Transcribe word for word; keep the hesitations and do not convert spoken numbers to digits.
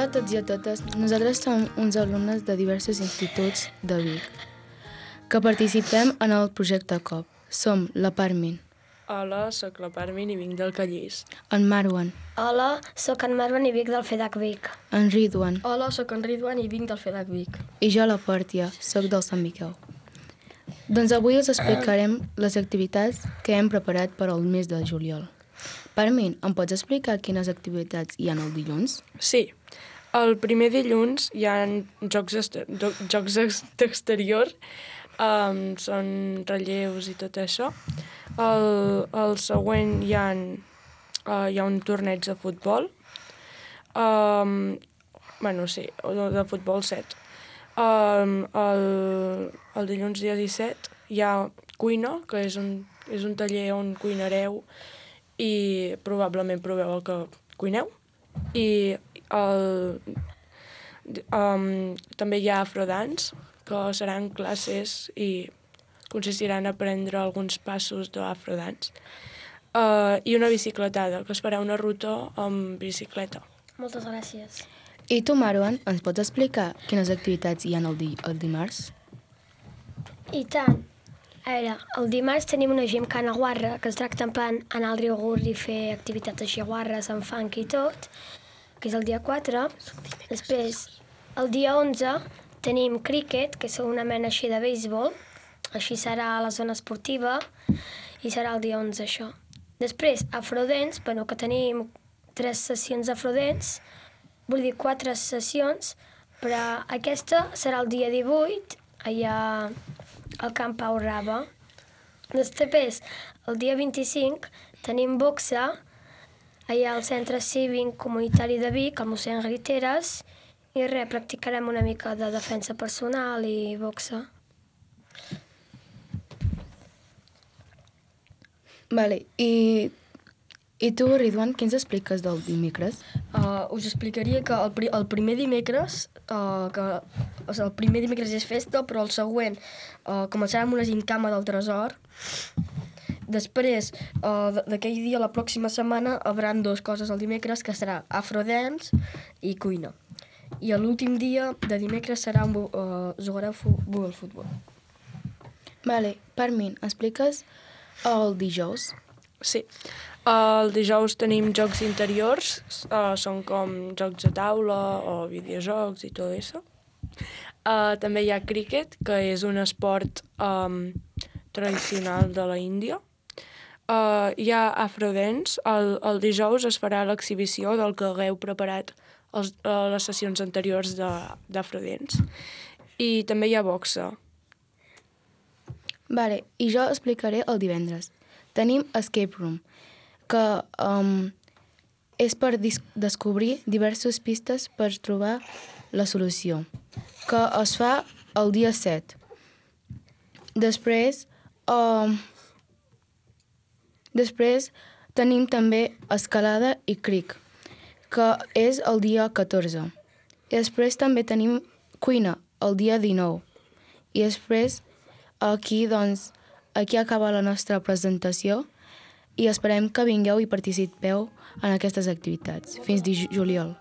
Hola a tots i a totes. Nosaltres som uns alumnes de diversos instituts de Vic que participem en el projecte C O P. Som la Parmin, Hola, sóc la Parmin i vinc del Callís. en Marwan, Hola, sóc en Marwan i vinc del FEDAC Vic. en Ridwan Hola, sóc en Ridwan i vinc del FEDAC Vic. i jo, la Pòrtia, sóc del Sant Miquel. Doncs avui us explicarem les activitats que hem preparat per al mes de juliol. Parmin, em pots explicar quines activitats hi ha el dilluns? Sí, el primer dilluns hi ha jocs, ester- do- jocs ex- d'exterior, um, són relleus i tot això. El, el següent hi ha, uh, hi ha un torneig de futbol, um, bueno, sí, de, de futbol set. Um, el, el dilluns dia disset hi ha cuina, que és un, és un taller on cuinareu i probablement proveu el que cuineu. I el, um, també hi ha afrodance, que seran classes i consistiran a aprendre alguns passos d'afrodance. Uh, I una bicicletada, que es farà una ruta amb bicicleta. Moltes gràcies. I tu, Marwan, ens pots explicar quines activitats hi ha el, di el dimarts? I tant. A veure, el dimarts tenim una gimcana guarra que es tracta en plan anar al riu Gurri i fer activitats així guarres amb fang i tot, que és el dia quatre. Després, el dia onze, tenim cricket, que és una mena així de béisbol. Així serà a la zona esportiva i serà el dia onze, això. Després, afrodents, bueno, que tenim tres sessions d'afrodents, vull dir quatre sessions, però aquesta serà el dia divuit, allà al Camp Pau Raba. Després, el dia vint-i-cinc, tenim boxa, allà al Centre Cívic Comunitari de Vic, al mossèn Griteres, i res, practicarem una mica de defensa personal i boxa. Vale, i, i tu, Ridwan, què ens expliques del dimecres? Uh, us explicaria que el, pri el primer dimecres, uh, que, o sigui, el primer dimecres és festa, però el següent uh, començarà amb una gimcana del tresor. Després, uh, d'aquell dia, la pròxima setmana, hauran dues coses el dimecres, que serà afrodance i cuina. I l'últim dia de dimecres serà un, uh, jugareu al futbol. Vale, Parmin, expliques el dijous? Sí. El dijous tenim jocs interiors, uh, són com jocs de taula o videojocs i tot això. Uh, també hi ha cricket, que és un esport um, tradicional de la Índia. Uh, hi ha afrodance. El, el dijous es farà l'exhibició del que hagueu preparat els, uh, les sessions anteriors d'afrodance. I també hi ha boxa. Vale, i jo explicaré el divendres. Tenim Escape Room, que um, és per descobrir diverses pistes per trobar la solució, que es fa el dia set. Després, um, després tenim també escalada i cric, que és el dia catorze. I després també tenim cuina, el dia dinou. I després, aquí, doncs, aquí acaba la nostra presentació i esperem que vingueu i participeu en aquestes activitats. Fins di juliol.